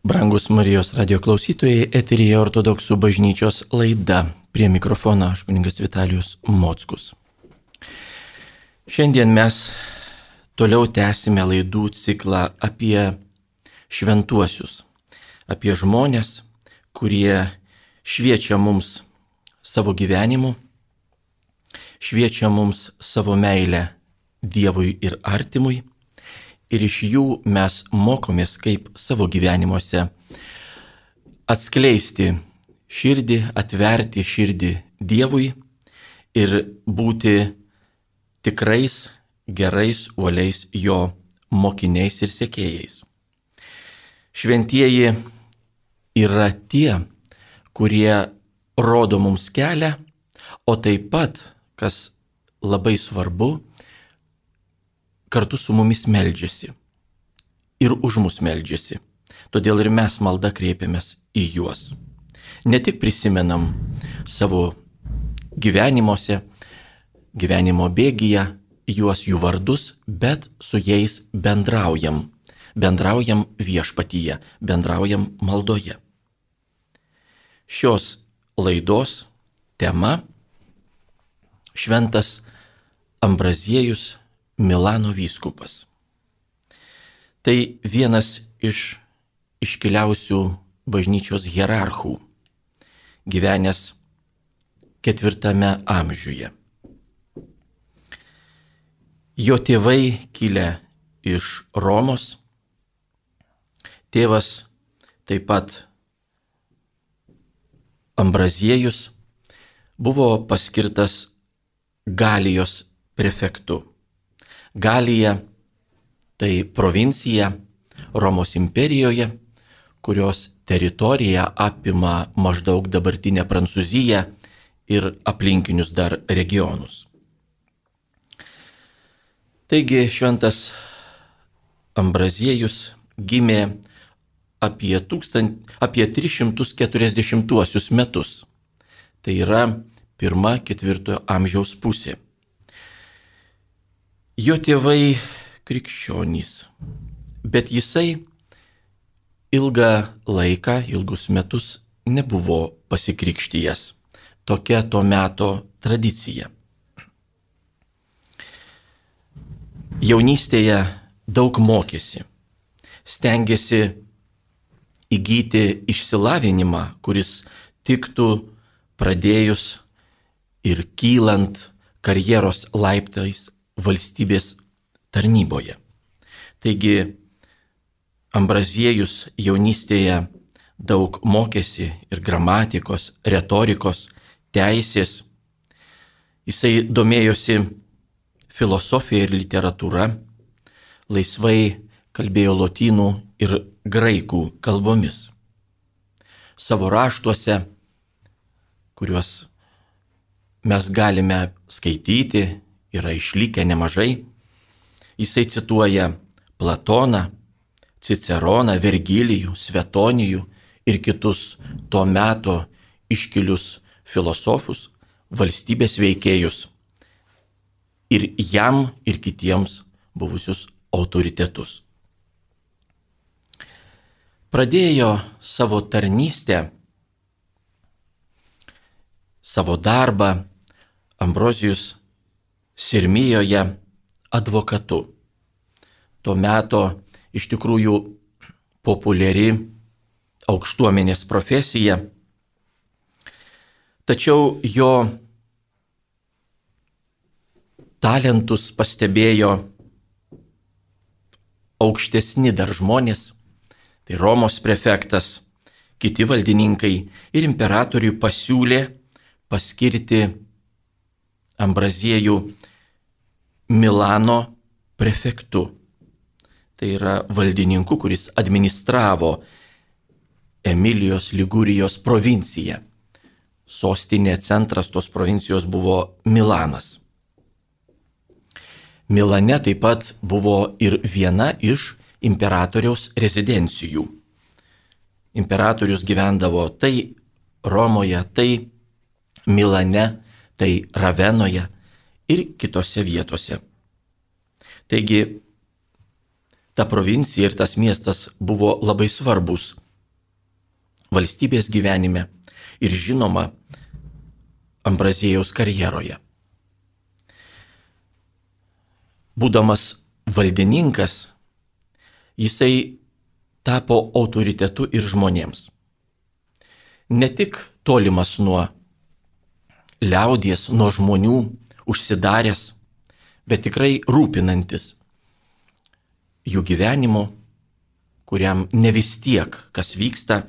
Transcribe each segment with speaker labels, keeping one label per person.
Speaker 1: Brangus Marijos radio klausytojai, eteryje Ortodoksų bažnyčios laida. Prie mikrofono aš kunigas Vitalijus Mockus. Šiandien mes toliau tęsime laidų ciklą apie šventuosius, apie žmonės, kurie šviečia mums savo gyvenimu, šviečia mums savo meilę Dievui ir artimui. Ir iš jų mes mokomės, kaip savo gyvenimuose atskleisti širdį, atverti širdį Dievui ir būti tikrais, gerais, uoliais jo mokiniais ir sekėjais. Šventieji yra tie, kurie rodo mums kelią, o taip pat, kas labai svarbu, kartu su mumis meldžiasi ir už mus meldžiasi. Todėl ir mes malda kreipiamės į juos. Ne tik prisimenam savo gyvenimuose, gyvenimo bėgyje juos, jų vardus, bet su jais bendraujam. Bendraujam viešpatyje, bendraujam maldoje. Šios laidos tema – šventas Ambraziejus Milano vyskupas. Tai vienas iš iškiliausių bažnyčios hierarchų, gyvenęs 4 amžiuje. Jo tėvai kilę iš Romos, tėvas taip pat Ambraziejus buvo paskirtas Galijos prefektu. Galija tai provincija Romos imperijoje, kurios teritorija apima maždaug dabartinę Prancūziją ir aplinkinius dar regionus. Taigi šventas Ambraziejus gimė apie 340 metus. Tai yra 1-4 amžiaus pusė. Jo tėvai krikščionys, bet jisai ilgus metus nebuvo pasikrikštijęs. Tokia to meto tradicija. Jaunystėje daug mokėsi, stengėsi įgyti išsilavinimą, kuris tiktų pradėjus ir kylant karjeros laiptais valstybės tarnyboje. Taigi Ambraziejus jaunystėje daug mokėsi ir gramatikos, retorikos, teisės. Jisai domėjosi filosofija ir literatūra, laisvai kalbėjo lotynų ir graikų kalbomis. Savo raštuose, kuriuos mes galime skaityti, yra išlikę nemažai. Jisai cituoja Platoną, Ciceroną, Vergilijų, Svetonijų ir kitus to meto iškilius filosofus, valstybės veikėjus ir jam ir kitiems buvusius autoritetus. Pradėjo savo tarnystę, savo darbą Ambrozijus Sirmijoje advokatu. Tuo metu iš tikrųjų populiari aukštuomenės profesija, tačiau jo talentus pastebėjo aukštesni dar žmonės, tai Romos prefektas, kiti valdininkai ir imperatoriui pasiūlė paskirti Ambraziejų Milano prefektu. Tai yra valdininku, kuris administravo Emilijos Ligurijos provinciją. Sostinė, centras tos provincijos buvo Milanas. Milane taip pat buvo ir viena iš imperatoriaus rezidencijų. Imperatorius gyvendavo tai Romoje, tai Milane, tai Ravenoje ir kitose vietose. Taigi, ta provincija ir tas miestas buvo labai svarbus valstybės gyvenime ir žinoma Ambraziejaus karjeroje. Būdamas valdininkas, jisai tapo autoritetu ir žmonėms. Ne tik tolimas nuo liaudies, nuo žmonių, užsidaręs, bet tikrai rūpinantis jų gyvenimu, kuriam ne vis tiek, kas vyksta.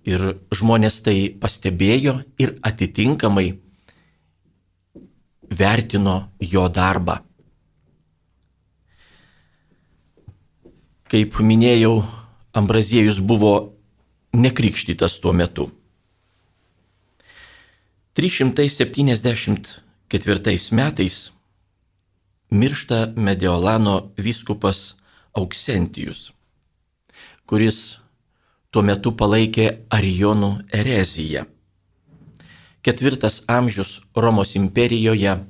Speaker 1: Ir žmonės tai pastebėjo ir atitinkamai vertino jo darbą. Kaip minėjau, Ambraziejus buvo nekrikštytas tuo metu. 374 metais miršta Mediolano vyskupas Auksentijus, kuris tuo metu palaikė arijonų ereziją. 4 amžius Romos imperijoje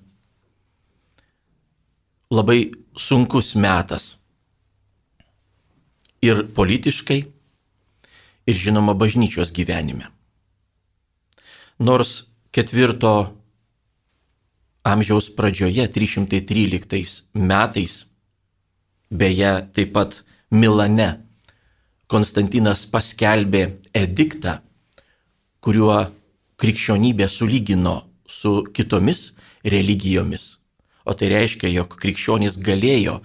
Speaker 1: labai sunkus metas ir politiškai, ir žinoma bažnyčios gyvenime. Nors 4 amžiaus pradžioje, 313 metais, beje, taip pat Milane, Konstantinas paskelbė ediktą, kuriuo krikščionybė sulygino su kitomis religijomis. O tai reiškia, jog krikščionys galėjo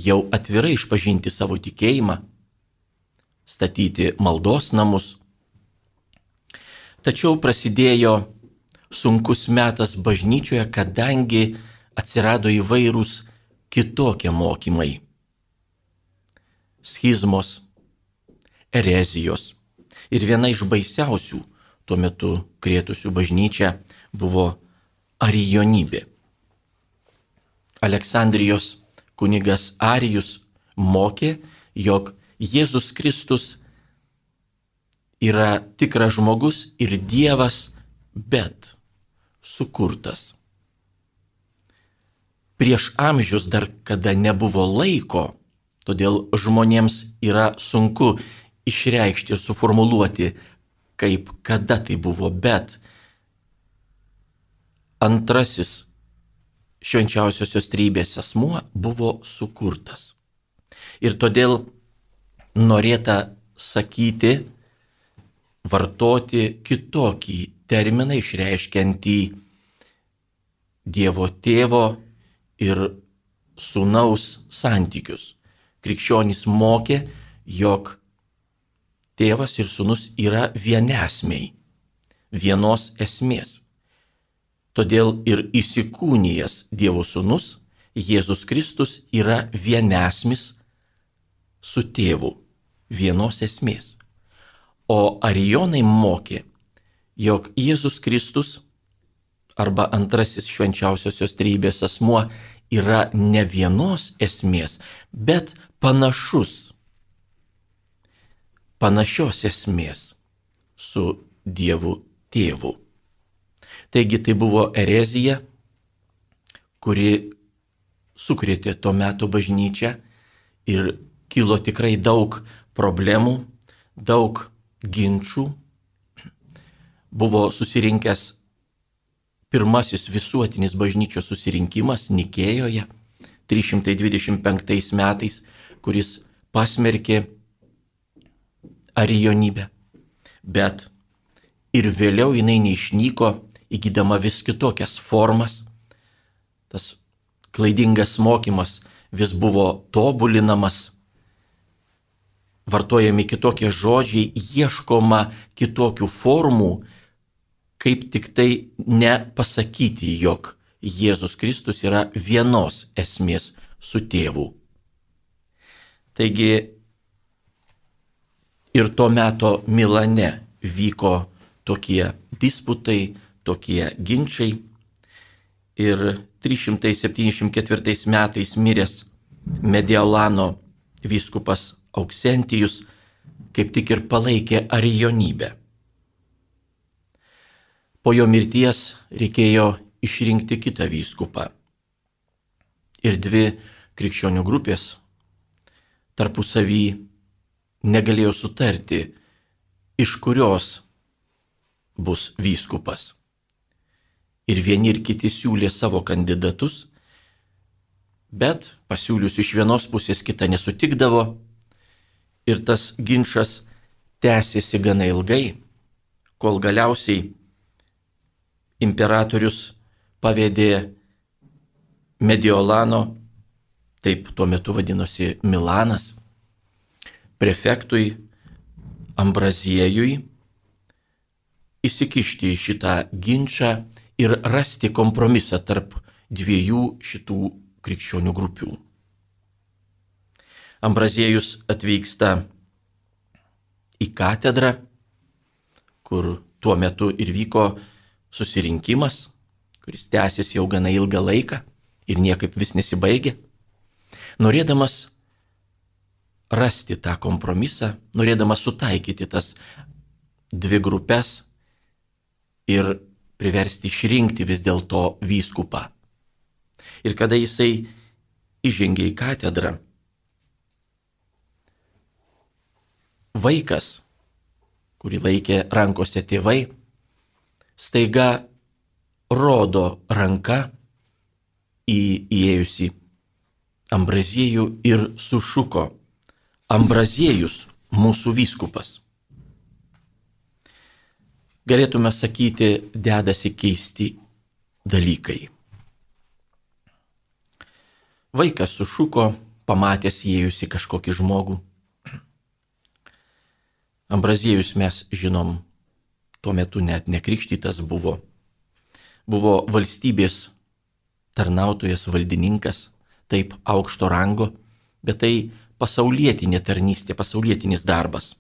Speaker 1: jau atvirai išpažinti savo tikėjimą, statyti maldos namus. Tačiau prasidėjo sunkus metas bažnyčioje, kadangi atsirado įvairūs kitokie mokymai. Schizmos, erezijos. Ir viena iš baisiausių tuo metu krėtusių bažnyčią buvo arijonybė. Aleksandrijos kunigas Arijus mokė, jog Jėzus Kristus yra tikras žmogus ir Dievas, bet sukurtas. Prieš amžius dar kada nebuvo laiko, todėl žmonėms yra sunku išreikšti ir suformuluoti, kaip kada tai buvo, bet antrasis švenčiausiosios trejybės asmuo buvo sukurtas. Ir todėl norėta sakyti, vartoti kitokį terminą išreiškiantį Dievo Tėvo ir Sūnaus santykius. Krikščionys mokė, jog Tėvas ir Sūnus yra vienesmiai, vienos esmės. Todėl ir įsikūnijęs Dievo Sūnus, Jėzus Kristus, yra vienesmis su Tėvu, vienos esmės. O arijonai mokė, jog Jėzus Kristus arba antrasis švenčiausiosios trejybės asmuo yra ne vienos esmės, bet panašios esmės su Dievu Tėvu. Taigi tai buvo erezija, kuri sukrėtė to meto bažnyčią ir kilo tikrai daug problemų, daug ginčių. Buvo susirinkęs pirmasis visuotinis bažnyčios susirinkimas Nikėjoje 325 metais, kuris pasmerkė arijonybę. Bet ir vėliau jinai neišnyko, įgydama vis kitokias formas. Tas klaidingas mokymas vis buvo tobulinamas, vartojami kitokie žodžiai, ieškoma kitokių formų, kaip tik tai nepasakyti, jog Jėzus Kristus yra vienos esmės su Tėvu. Taigi ir to meto Milane vyko tokie disputai, tokie ginčiai. Ir 374 metais miręs Mediolano vyskupas Auksentijus kaip tik ir palaikė arijonybę. Po jo mirties reikėjo išrinkti kitą vyskupą. Ir 2 krikščionių grupės tarpusavy negalėjo sutarti iš kurios bus vyskupas. Ir vieni ir kiti siūlė savo kandidatus, bet pasiūlius iš vienos pusės kita nesutikdavo ir tas ginčas tęsėsi gana ilgai, kol galiausiai imperatorius pavedė Mediolano, taip tuo metu vadinosi Milanas, prefektui Ambraziejui įsikišti į šitą ginčą ir rasti kompromisą tarp dviejų šitų krikščionių grupių. Ambraziejus atvyksta į katedrą, kur tuo metu ir vyko susirinkimas, kuris tęsis jau gana ilgą laiką ir niekaip vis nesibaigė, norėdamas rasti tą kompromisą, norėdamas sutaikyti tas dvi grupės ir priversti išrinkti vis dėlto vyskupą. Ir kada jisai įžengė į katedrą, vaikas, kurį laikė rankose tėvai, staiga rodo ranka į įėjusi Ambraziejų ir sušuko: Ambraziejus, mūsų vyskupas. Galėtume sakyti, dedasi keisti dalykai. Vaikas sušuko, pamatęs įėjusi kažkokį žmogų. Ambraziejus, mes žinom, tuo metu net nekrikštytas buvo. Buvo valstybės tarnautojas, valdininkas, taip aukšto rango, bet tai pasaulietinė tarnystė, pasaulietinis darbas.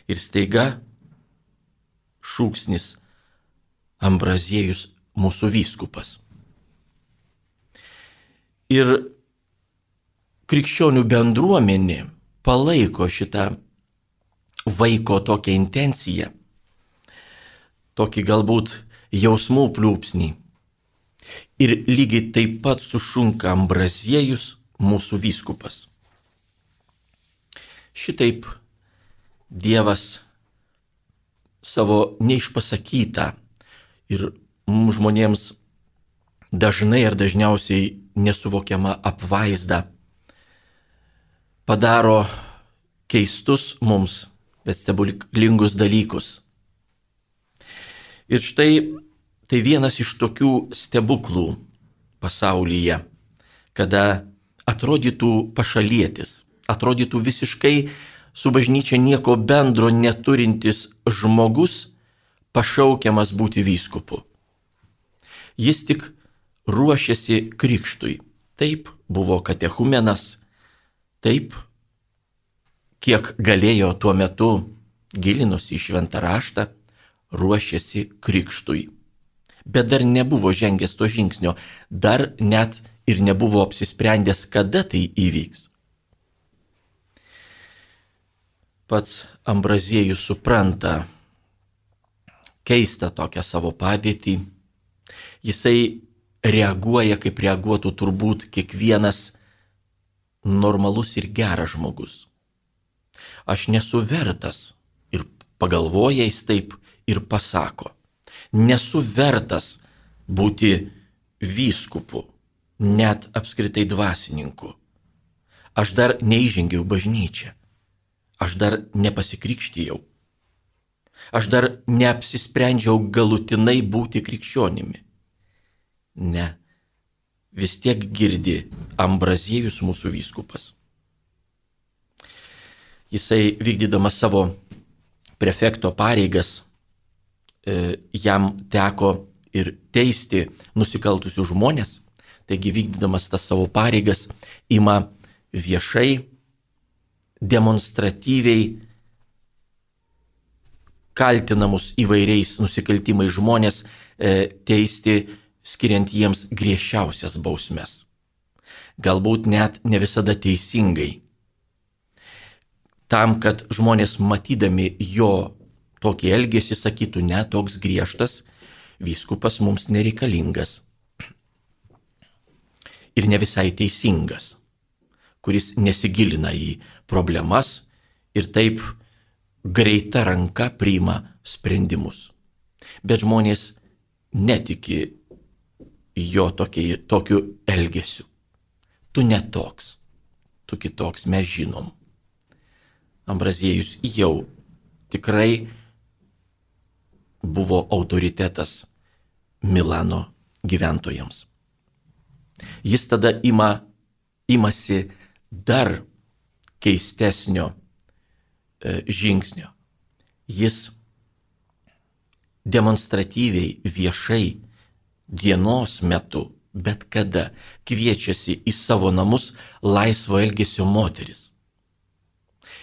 Speaker 1: Ir staiga šūksnis: Ambraziejus, mūsų vyskupas. Ir krikščionių bendruomenė palaiko šitą vaiko tokią intenciją, tokį galbūt jausmų pliūpsnį. Ir lygiai taip pat sušunka: Ambraziejus, mūsų vyskupas. Šitaip Dievas savo neišpasakytą ir mums žmonėms dažnai ar dažniausiai nesuvokiamą apvaizdą padaro keistus mums, bet stebuklingus dalykus. Ir štai tai vienas iš tokių stebuklų pasaulyje, kada atrodytų pašalietis, atrodytų visiškai su bažnyčia nieko bendro neturintis žmogus pašaukiamas būti vyskupu. Jis tik ruošiasi krikštui. Taip buvo katechumenas, taip, kiek galėjo tuo metu, gilinosi į šventą raštą, ruošiasi krikštui. Bet dar nebuvo žengęs to žingsnio, dar net ir nebuvo apsisprendęs, kada tai įvyks. Pats Ambraziejus supranta keistą tokią savo padėtį. Jisai reaguoja, kaip reaguotų turbūt kiekvienas normalus ir geras žmogus. Aš nesu vertas, ir pagalvoja jis taip ir pasako. Nesu vertas būti vyskupu, net apskritai dvasininku. Aš dar neįžengiau bažnyčią. Aš dar nepasikrikštijau. Aš dar neapsisprendžiau galutinai būti krikščionimi. Ne, vis tiek girdi: Ambraziejus, mūsų vyskupas. Jisai, vykdydamas savo prefekto pareigas, jam teko ir teisti nusikaltusius žmonės, taigi vykdydamas tas savo pareigas ima viešai, demonstratyviai kaltinamus įvairiais nusikaltimais žmonės teisti, skiriant jiems griežčiausias bausmes. Galbūt net ne visada teisingai. Tam, kad žmonės matydami jo tokį elgesį sakytų: ne, toks griežtas vyskupas mums nereikalingas. Ir ne visai teisingas, kuris nesigilina į problemas ir taip greita ranka priima sprendimus. Bet žmonės netiki jo tokiu elgesiu. Tu netoks, tu kitoks, mes žinom. Ambraziejus jau tikrai buvo autoritetas Milano gyventojams. Jis tada imasi dar keistesnio žingsnio. Jis demonstratyviai, viešai, dienos metu, bet kada kviečiasi į savo namus laisvo elgesio moteris.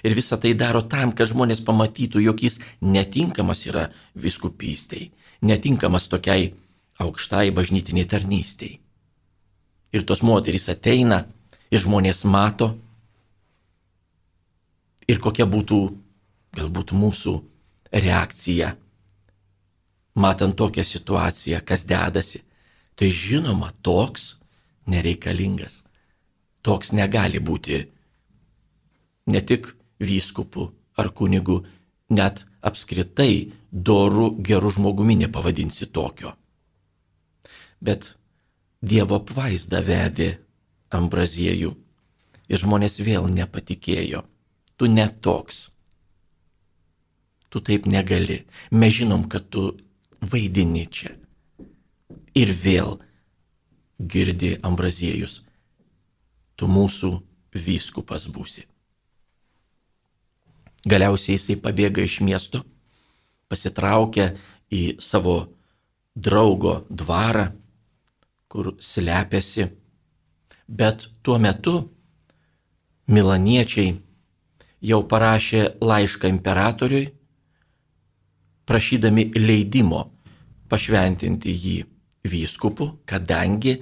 Speaker 1: Ir visą tai daro tam, kad žmonės pamatytų, jog jis netinkamas yra vyskupystei, netinkamas tokiai aukštai bažnytiniai tarnystei. Ir tos moterys ateina ir žmonės mato. Ir kokia būtų galbūt mūsų reakcija, matant tokią situaciją, kas dedasi. Tai žinoma, toks nereikalingas. Toks negali būti ne tik vyskupu ar kunigu, net apskritai doru geru žmogumi nepavadinsi tokio. Bet Dievo apvaizda vedė Ambraziejų ir žmonės vėl nepatikėjo. Tu netoks. Tu taip negali. Mes žinom, kad tu vaidini čia. Ir vėl girdi Ambraziejus. Tu mūsų vyskupas būsi. Galiausiai jisai pabėga iš miesto, pasitraukia į savo draugo dvarą, kur slepiasi. Bet tuo metu milaniečiai jau parašė laišką imperatoriui, prašydami leidimo pašventinti jį vyskupu, kadangi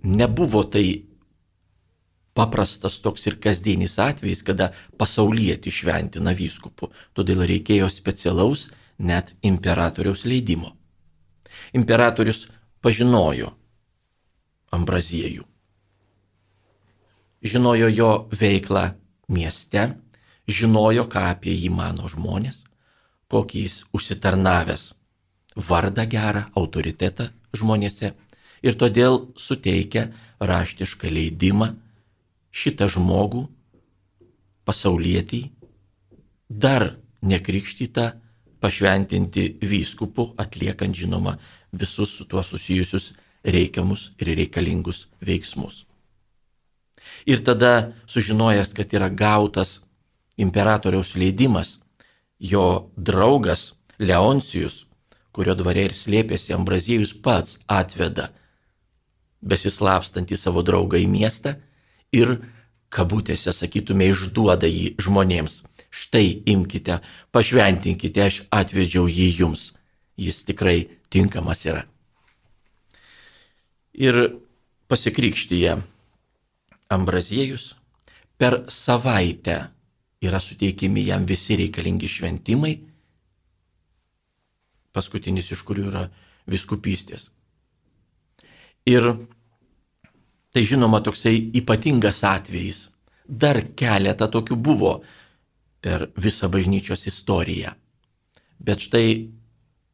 Speaker 1: nebuvo tai paprastas toks ir kasdienis atvejis, kada pasaulietį šventina vyskupu. Todėl reikėjo specialaus net imperatoriaus leidimo. Imperatorius pažinojo Ambraziejų. Žinojo jo veiklą mieste, žinojo, ką apie jį mano žmonės, kokį jis užsitarnavęs vardą gerą, autoritetą žmonėse, ir todėl suteikia raštišką leidimą šitą žmogų, pasaulietį, dar nekrikštytą, pašventinti vyskupu, atliekant, žinoma, visus su tuo susijusius reikiamus ir reikalingus veiksmus. Ir tada, sužinojęs, kad yra gautas imperatoriaus leidimas, jo draugas Leoncijus, kurio dvare ir slėpėsi Ambraziejus, pats atveda besislapstantį savo draugą į miestą ir, kabutėse sakytume, išduoda jį žmonėms. Štai imkite, pašventinkite, aš atvedžiau jį jums. Jis tikrai tinkamas yra. Ir pasikrikštyje Ambraziejus per savaitę yra suteikimi jam visi reikalingi šventimai, paskutinis iš kurių yra vyskupystės. Ir tai žinoma toksai ypatingas atvejis. Dar keletą tokių buvo per visą bažnyčios istoriją. Bet štai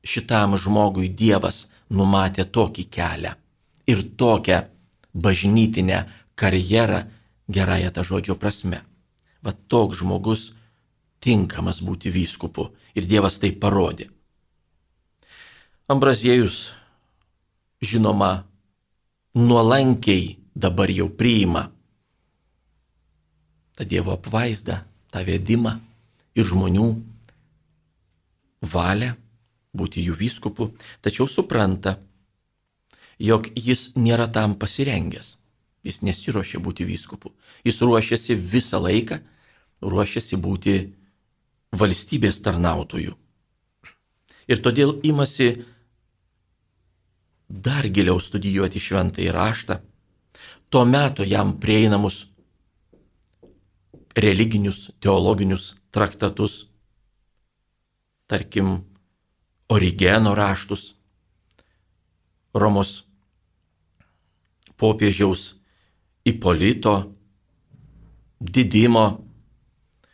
Speaker 1: šitam žmogui Dievas numatė tokį kelią ir tokią bažnytinę karjerą gerąją tą žodžio prasme. Va toks žmogus tinkamas būti vyskupu ir Dievas tai parodė. Ambraziejus, žinoma, nuolankiai dabar jau priima tą Dievo apvaizdą, tą vedimą ir žmonių valią būti jų vyskupu, tačiau supranta, jog jis nėra tam pasirengęs. Jis nesiruošia būti vyskupu. Jis ruošiasi visą laiką, ruošiasi būti valstybės tarnautoju. Ir todėl imasi dar giliau studijuoti šventąjį raštą, tuo metu jam prieinamus religinius, teologinius traktatus, tarkim, Origeno raštus, Romos popiežiaus Ipolito, Didimo,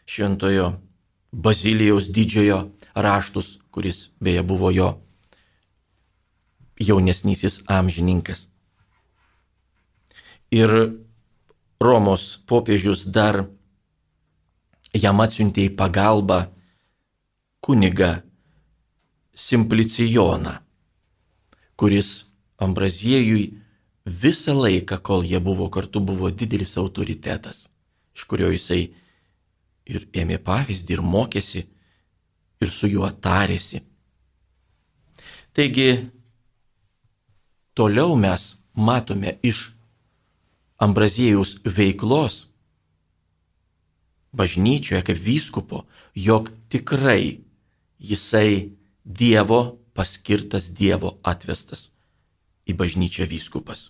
Speaker 1: šventojo Bazilijaus didžiojo raštus, kuris beje buvo jo jaunesnysis amžininkas. Ir Romos popiežius dar jam atsiuntė į pagalbą kunigą Simplicijoną, kuris Ambraziejui visą laiką, kol jie buvo kartu, buvo didelis autoritetas, iš kurio jisai ir ėmė pavyzdį, ir mokėsi, ir su juo tarėsi. Taigi, toliau mes matome iš Ambraziejaus veiklos bažnyčioje kaip vyskupo, jog tikrai jisai Dievo paskirtas, Dievo atvestas į bažnyčią vyskupas.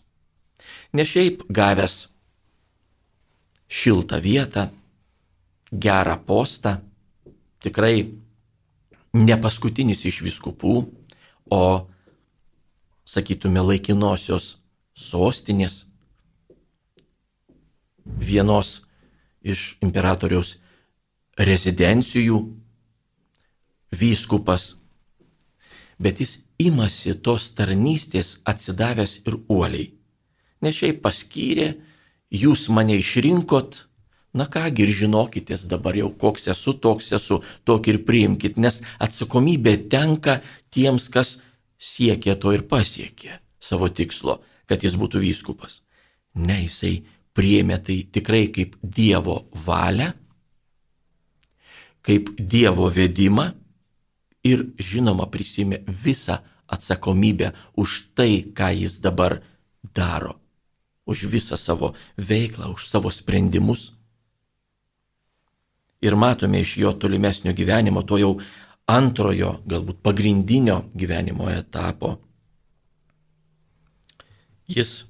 Speaker 1: Ne šiaip gavęs šiltą vietą, gerą postą, tikrai ne paskutinis iš vyskupų, o, sakytume, laikinosios sostinės, vienos iš imperatoriaus rezidencijų vyskupas, bet jis imasi tos tarnystės atsidavęs ir uoliai. Ne šiaip paskyrė, jūs mane išrinkot, na kągi ir žinokitės dabar jau koks esu, toks esu, tokį ir priimkit, nes atsakomybė tenka tiems, kas siekė to ir pasiekė savo tikslo, kad jis būtų vyskupas. Ne, jisai priėmė tai tikrai kaip Dievo valią, kaip Dievo vedimą ir žinoma prisiėmė visą atsakomybę už tai, ką jis dabar daro, už visą savo veiklą, už savo sprendimus. Ir matome iš jo tolimesnio gyvenimo, to jau antrojo, galbūt pagrindinio gyvenimo etapo. Jis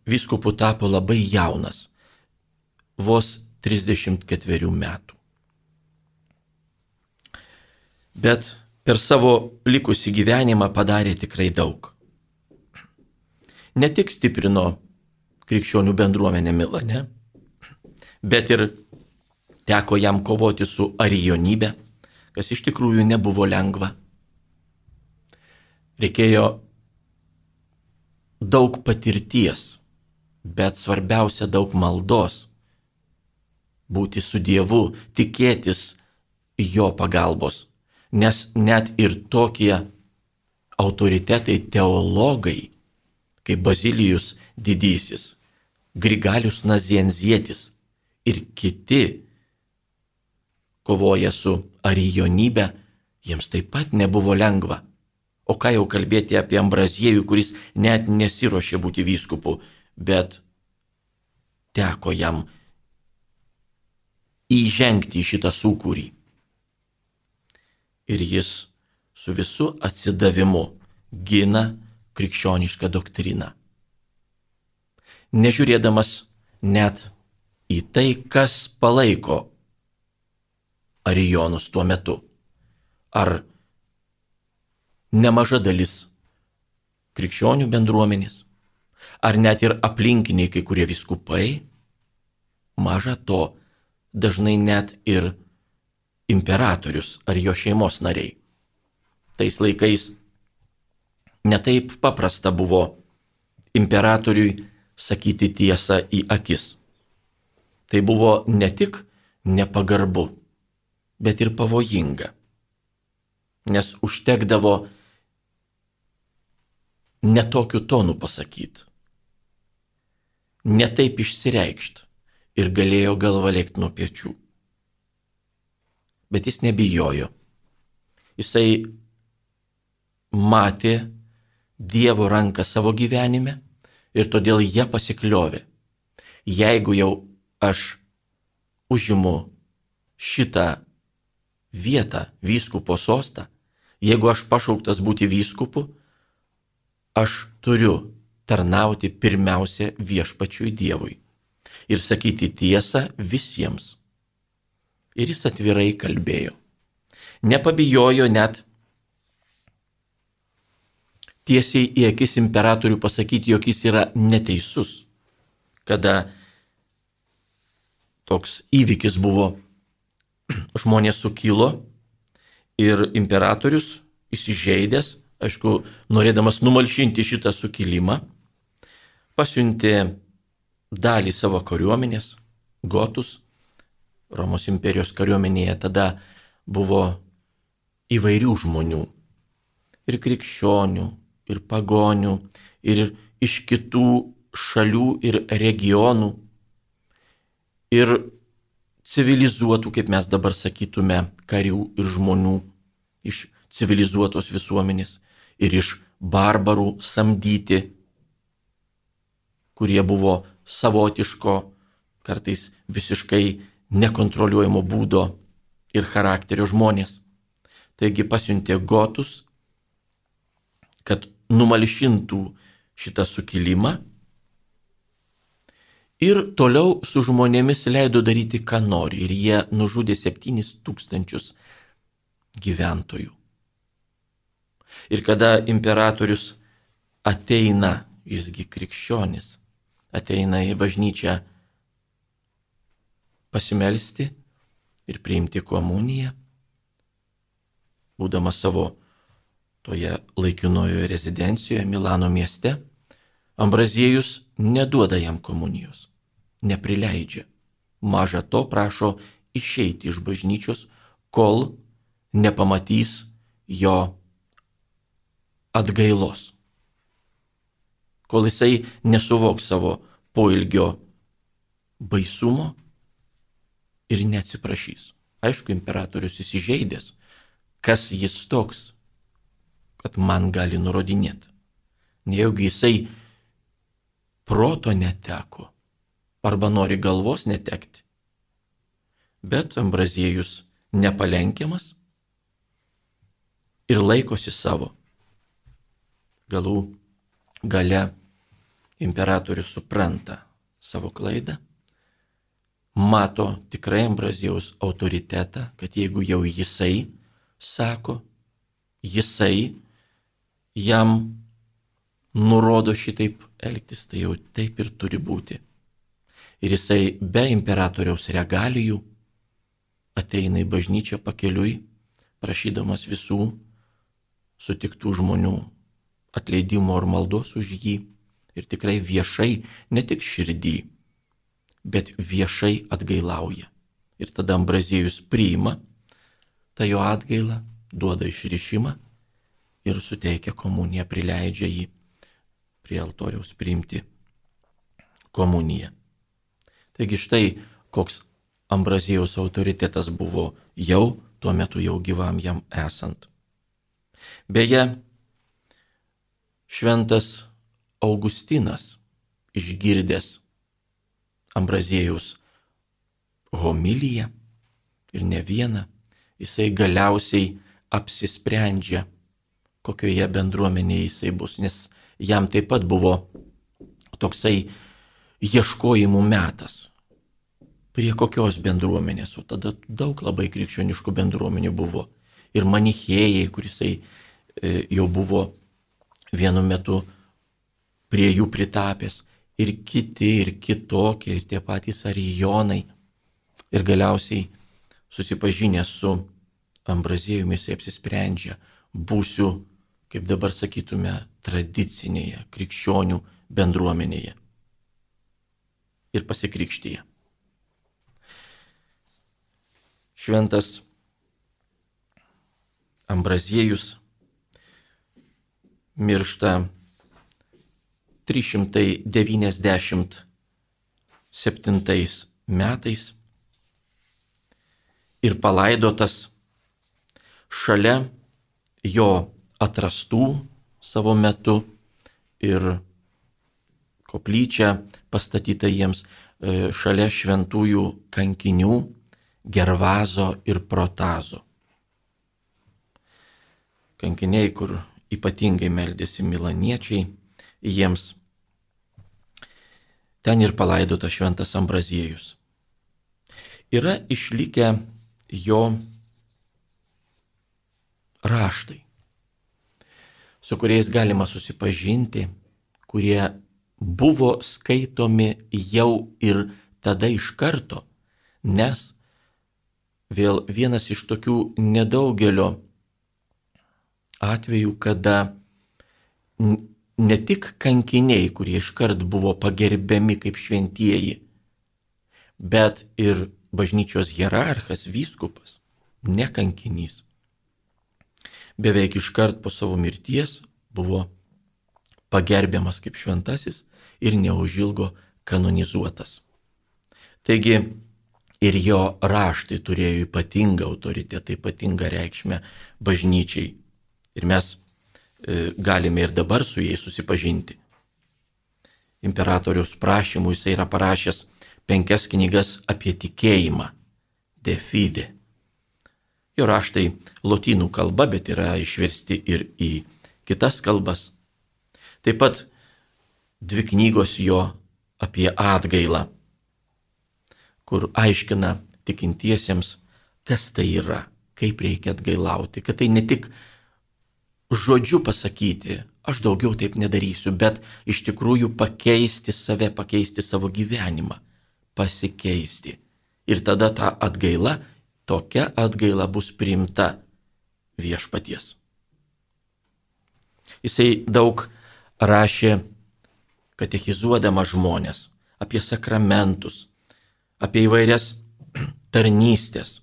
Speaker 1: vyskupu tapo labai jaunas, vos 34 metų. Bet per savo likusį gyvenimą padarė tikrai daug. Ne tik stiprino krikščionių bendruomenę Milane, bet ir teko jam kovoti su arijonybė, kas iš tikrųjų nebuvo lengva. Reikėjo daug patirties, bet svarbiausia daug maldos, būti su Dievu, tikėtis jo pagalbos, nes net ir tokie autoritetai, teologai, kaip Bazilijus didysis, Grigalius Nazianzietis ir kiti kovoja su arijonybė, jiems taip pat nebuvo lengva. O ką jau kalbėti apie Ambraziejų, kuris net nesiruošė būti vyskupu, bet teko jam įžengti į šitą sūkurį. Ir jis su visu atsidavimu gina krikščionišką doktriną, nežiūrėdamas net į tai, kas palaiko arijonus tuo metu. Ar nemaža dalis krikščionių bendruomenės, ar net ir aplinkiniai kai kurie vyskupai, maža to, dažnai net ir imperatorius ar jo šeimos nariai. Tais laikais netaip paprasta buvo imperatoriui sakyti tiesą į akis. Tai buvo ne tik nepagarbu, bet ir pavojinga, nes užtekdavo netokiu tonu pasakyti, netaip išsireikšti ir galėjo galva lėkti nuo pečių. Bet jis nebijojo. Jisai matė Dievo ranką savo gyvenime ir todėl jie pasikliovė. Jeigu jau aš užimu šitą vietą, vyskupo sostą, jeigu aš pašauktas būti vyskupu, aš turiu tarnauti pirmiausia viešpačiui Dievui ir sakyti tiesą visiems. Ir jis atvirai kalbėjo. Nepabijojo net tiesiai į akis imperatorių pasakyti, jog jis yra neteisus. Kada toks įvykis buvo žmonės sukilo ir imperatorius įsižeidęs, aišku, norėdamas numalšinti šitą sukilimą, pasiuntė dalį savo kariuomenės, gotus. Romos imperijos kariuomenėje tada buvo įvairių žmonių. Ir krikščionių, ir pagonių, ir iš kitų šalių ir regionų. Ir civilizuotų, kaip mes dabar sakytume, karių ir žmonių iš civilizuotos visuomenės. Ir iš barbarų samdyti, kurie buvo savotiško, kartais visiškai nekontroliuojamo būdo ir charakterio žmonės. Taigi pasiuntė gotus, kad numalšintų šitą sukilimą ir toliau su žmonėmis leido daryti, ką nori. Ir jie nužudė 7,000 gyventojų. Ir kada imperatorius ateina, jisgi krikščionis, ateina į bažnyčią pasimelsti ir priimti komuniją, būdamas savo toje laikinojoje rezidencijoje Milano mieste, Ambraziejus neduoda jam komunijos, neprileidžia. Maža to prašo išeiti iš bažnyčios, kol nepamatys jo atgailos, kol jisai nesuvoks savo poilgio baisumo ir neatsiprašys. Aišku, imperatorius įsižeidęs, kas jis toks, kad man gali nurodinėti. Nejaugi jisai proto neteko, arba nori galvos netekti. Bet Ambraziejus nepalenkiamas ir laikosi savo. Galų gale imperatorius supranta savo klaidą, mato tikrai Ambraziejaus autoritetą, kad jeigu jau jisai sako, jisai jam nurodo šitaip elgtis, tai jau taip ir turi būti. Ir jisai be imperatoriaus regalijų ateina į bažnyčią pakeliui, prašydamas visų sutiktų žmonių atleidimo ir maldos už jį. Ir tikrai viešai, ne tik širdį, bet viešai atgailauja. Ir tada Ambraziejus priima tą jo atgailą, duoda išrišimą ir suteikia komuniją, prileidžia jį prie altoriaus priimti komuniją. Taigi štai koks Ambraziejaus autoritetas buvo jau tuo metu jau gyvam jam esant. Beje, šventas Augustinas, išgirdęs Ambraziejaus homiliją ir ne vieną, jisai galiausiai apsisprendžia, kokioje bendruomenėje jisai bus, nes jam taip pat buvo toksai ieškojimų metas. Prie kokios bendruomenės, o tada daug labai krikščioniškų bendruomenių buvo. Ir manichėjai, kurisai jau buvo vienu metu prie jų pritapęs, ir kiti, ir kitokie, ir tie patys arijonai. Ir galiausiai susipažinę su Ambraziejumi jisai apsisprendžia, būsiu, kaip dabar sakytume, tradicinėje krikščionių bendruomenėje. Ir pasikrikštyje. Šventas Ambraziejus miršta 397 metais ir palaidotas šalia jo atrastų savo metu ir koplyčia pastatyta jiems šalia šventųjų kankinių Gervazo ir Protazo. Kankiniai, kur ypatingai meldėsi milaniečiai, jiems ten ir palaidota šventas Ambraziejus. Yra išlikę jo raštai, su kuriais galima susipažinti, kurie buvo skaitomi jau ir tada iš karto, nes vėl vienas iš tokių nedaugelio atvejų, kada ne tik kankiniai, kurie iškart buvo pagerbiami kaip šventieji, bet ir bažnyčios hierarchas, vyskupas, ne kankinys, beveik iškart po savo mirties buvo pagerbiamas kaip šventasis ir neužilgo kanonizuotas. Taigi ir jo raštai turėjo ypatingą autoritetą, ypatingą reikšmę bažnyčiai. Ir mes galime ir dabar su jais susipažinti. Imperatoriaus prašymų jisai yra parašęs 5 knygas apie tikėjimą, De Fide. Jo raštai lotynų kalba, bet yra išversti ir į kitas kalbas. Taip pat 2 knygos jo apie atgailą, kur aiškina tikintiesiems, kas tai yra, kaip reikia atgailauti, kad tai ne tik žodžiu pasakyti, aš daugiau taip nedarysiu, bet iš tikrųjų pakeisti save, pakeisti savo gyvenimą, pasikeisti. Ir tada ta atgaila, tokia atgaila bus priimta viešpaties. Jisai daug rašė, katechizuodamas žmonės, apie sakramentus, apie įvairias tarnystės.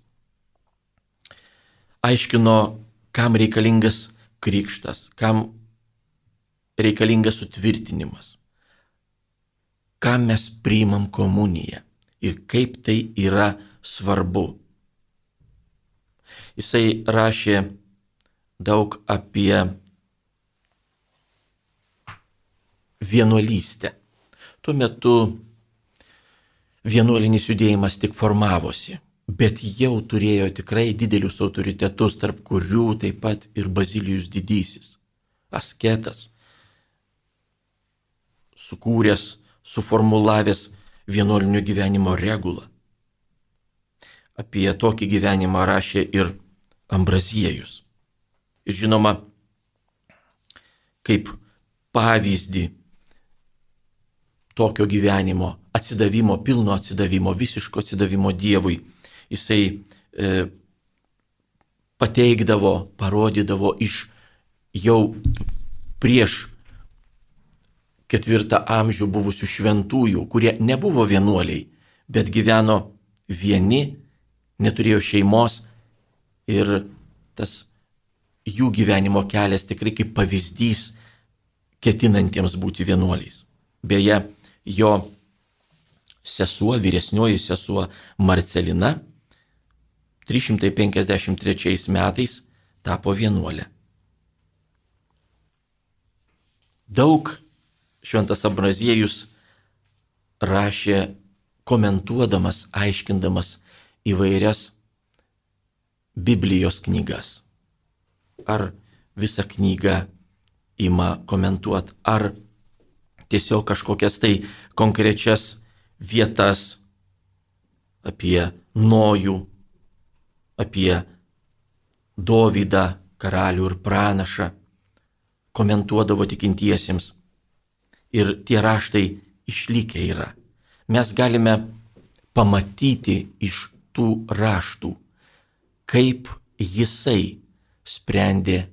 Speaker 1: Aiškino, kam reikalingas krikštas, kam reikalingas sutvirtinimas, kam mes priimam komuniją ir kaip tai yra svarbu. Jisai rašė daug apie vienuolystę. Tuo metu vienuolinis judėjimas tik formavosi, bet jau turėjo tikrai didelius autoritetus, tarp kurių taip pat ir Bazilijus Didysis, asketas, sukūręs, suformulavęs vienuolinio gyvenimo regulą. Apie tokį gyvenimą rašė ir Ambraziejus. Ir žinoma, kaip pavyzdį tokio gyvenimo, atsidavimo, pilno atsidavimo, visiško atsidavimo Dievui, jisai pateikdavo, parodydavo iš jau prieš 4 amžių buvusių šventųjų, kurie nebuvo vienuoliai, bet gyveno vieni, neturėjo šeimos ir tas jų gyvenimo kelias tikrai kaip pavyzdys ketinantiems būti vienuoliais. Beje, jo sesuo, vyresnioji sesuo Marcelina 353 metais tapo vienuolė. Daug šventas Ambraziejus rašė, komentuodamas, aiškindamas įvairias Biblijos knygas. Ar visą knygą ima komentuoti, ar tiesiog kažkokias tai konkrečias vietas apie Nojų, apie Dovydą, karalių ir pranašą, komentuodavo tikintiesiems. Ir tie raštai išlikę yra. Mes galime pamatyti iš tų raštų, kaip jisai sprendė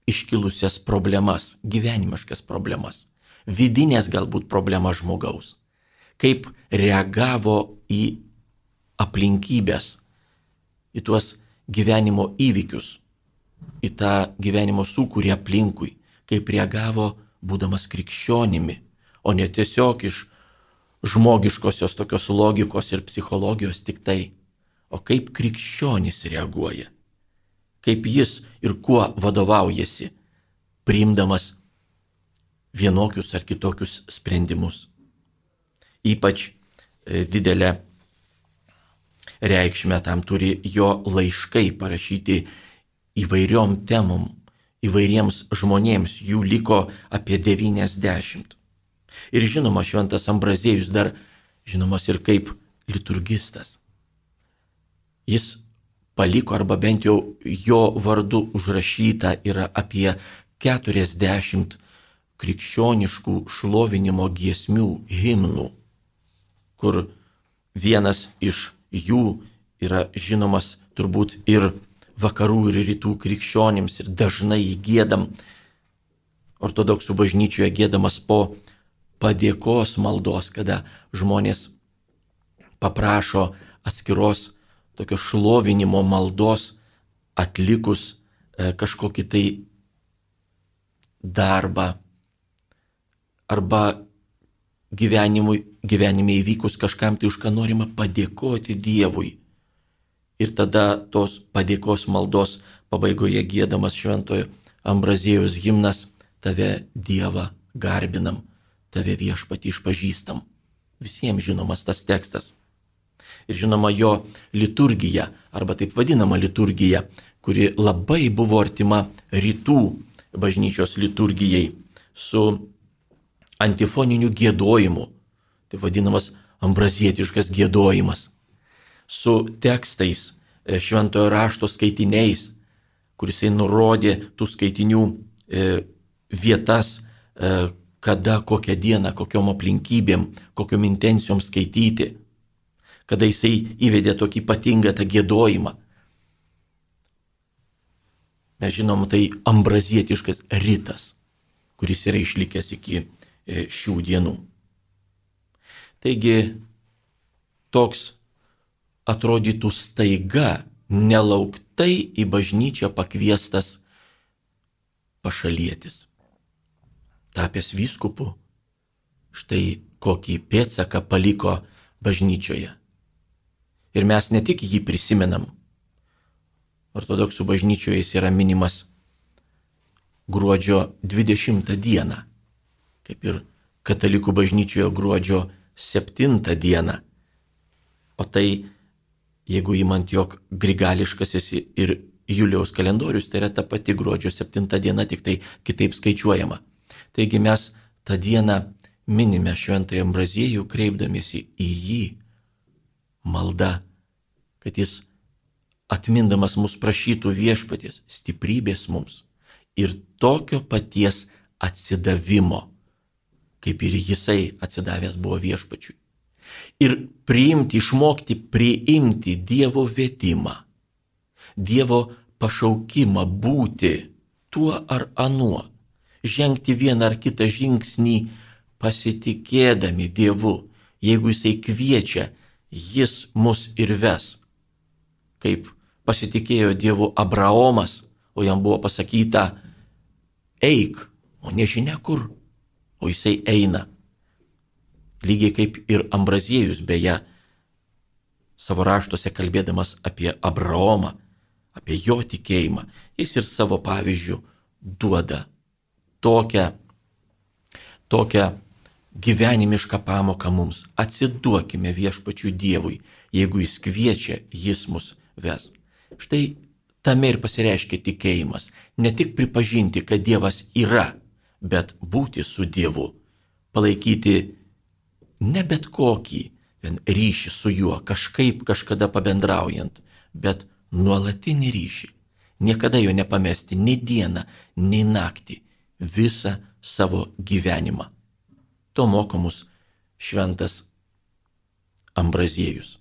Speaker 1: iškilusias problemas, gyvenimiškas problemas, vidinės galbūt problemas žmogaus, kaip reagavo į aplinkybės, į tuos gyvenimo įvykius, į tą gyvenimo sūkurį aplinkui, kaip reagavo būdamas krikščionimi, o ne tiesiog iš žmogiškosios tokios logikos ir psichologijos tik tai, o kaip krikščionis reaguoja, kaip jis ir kuo vadovaujasi, priimdamas vienokius ar kitokius sprendimus. Ypač didelę reikšmę tam turi jo laiškai parašyti įvairiom temom, įvairiems žmonėms, jų liko apie 90. Ir žinoma, šventas Ambraziejus dar žinomas ir kaip liturgistas. Jis paliko, arba bent jau jo vardu užrašyta yra apie 40 krikščioniškų šlovinimo giesmių, himnų, kur vienas iš jų yra žinomas turbūt ir vakarų ir rytų krikščionims ir dažnai jį giedam ortodoksų bažnyčioje giedamas po padėkos maldos, kada žmonės paprašo atskiros tokio šlovinimo maldos atlikus kažkokį tai darbą arba gyvenime įvykus kažkam tai, už ką norima padėkoti Dievui. Ir tada tos padėkos maldos pabaigoje giedamas šventojo Ambraziejaus himnas: tave Dievą garbinam, tave Viešpatį išpažįstam. Visiems žinomas tas tekstas. Ir žinoma jo liturgija, arba taip vadinama liturgija, kuri labai buvo artima rytų bažnyčios liturgijai su antifoniniu giedojimu, taip vadinamas ambrazietiškas giedojimas, su tekstais, šventojo rašto skaitiniais, kuris nurodė tų skaitinių vietas, kada, kokią dieną, kokiom aplinkybėm, kokiom intencijom skaityti, kada jisai įvedė tokį ypatingą tą giedojimą. Mes žinom, tai ambrazietiškas ritas, kuris yra išlikęs iki šių dienų. Taigi, toks atrodytų staiga, nelauktai į bažnyčią pakviestas pašalietis, tapęs vyskupu, štai kokį pėdsaką paliko bažnyčioje. Ir mes ne tik jį prisimenam. Ortodoksų bažnyčioje jis yra minimas gruodžio 20 dieną, kaip ir katalikų bažnyčioje gruodžio 7 dieną. O tai, jeigu įmant, jog grigališkasis ir Julijaus kalendorius, tai yra ta pati gruodžio 7 diena, tik tai kitaip skaičiuojama. Taigi mes tą dieną minime šventąjį Ambraziejų, kreipdamiesi į jį malda, kad jis atmindamas mus prašytų viešpaties stiprybės mums ir tokio paties atsidavimo, kaip ir jisai atsidavęs buvo viešpačiui. Ir išmokti priimti Dievo vedimą, Dievo pašaukimą būti tuo ar anuo, žengti vieną ar kitą žingsnį pasitikėdami Dievu. Jeigu jisai kviečia, jis mus ir ves. Kaip pasitikėjo Dievu Abraomas, o jam buvo pasakyta: eik, o nežinia kur, o jisai eina. Lygiai kaip ir Ambraziejus, beje, savo raštuose kalbėdamas apie Abraomą, apie jo tikėjimą, jis ir savo pavyzdžių duoda tokią gyvenimišką pamoką mums. Atsiduokime viešpačiui Dievui, jeigu jis kviečia, jis mus ves. Štai tame ir pasireiškia tikėjimas. Ne tik pripažinti, kad Dievas yra, bet būti su Dievu, palaikyti ne bet kokį ryšį su juo, kažkaip kažkada pabendraujant, bet nuolatinį ryšį. Niekada jo nepamesti nei dieną, nei naktį, visą savo gyvenimą. To moko mus šventas Ambraziejus.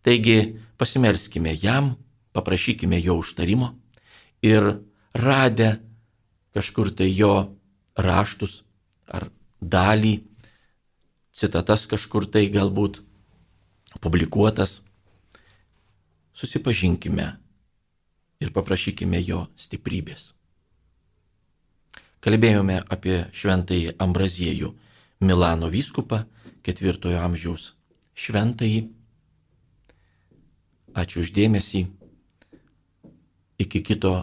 Speaker 1: Taigi pasimelskime jam, paprašykime jo užtarimo ir radę kažkur tai jo raštus ar dalį, citatas kažkur tai galbūt publikuotas, susipažinkime ir paprašykime jo stiprybės. Kalbėjome apie šventąjį Ambraziejų, Milano vyskupą, 4 amžiaus šventąjį. Ačiū už dėmesį. Iki kito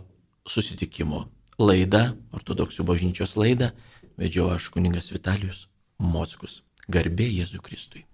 Speaker 1: susitikimo. Laida, ortodoksų bažnyčios laida, vedžiau aš kunigas Vitalijus Mockus. Garbė Jėzui Kristui.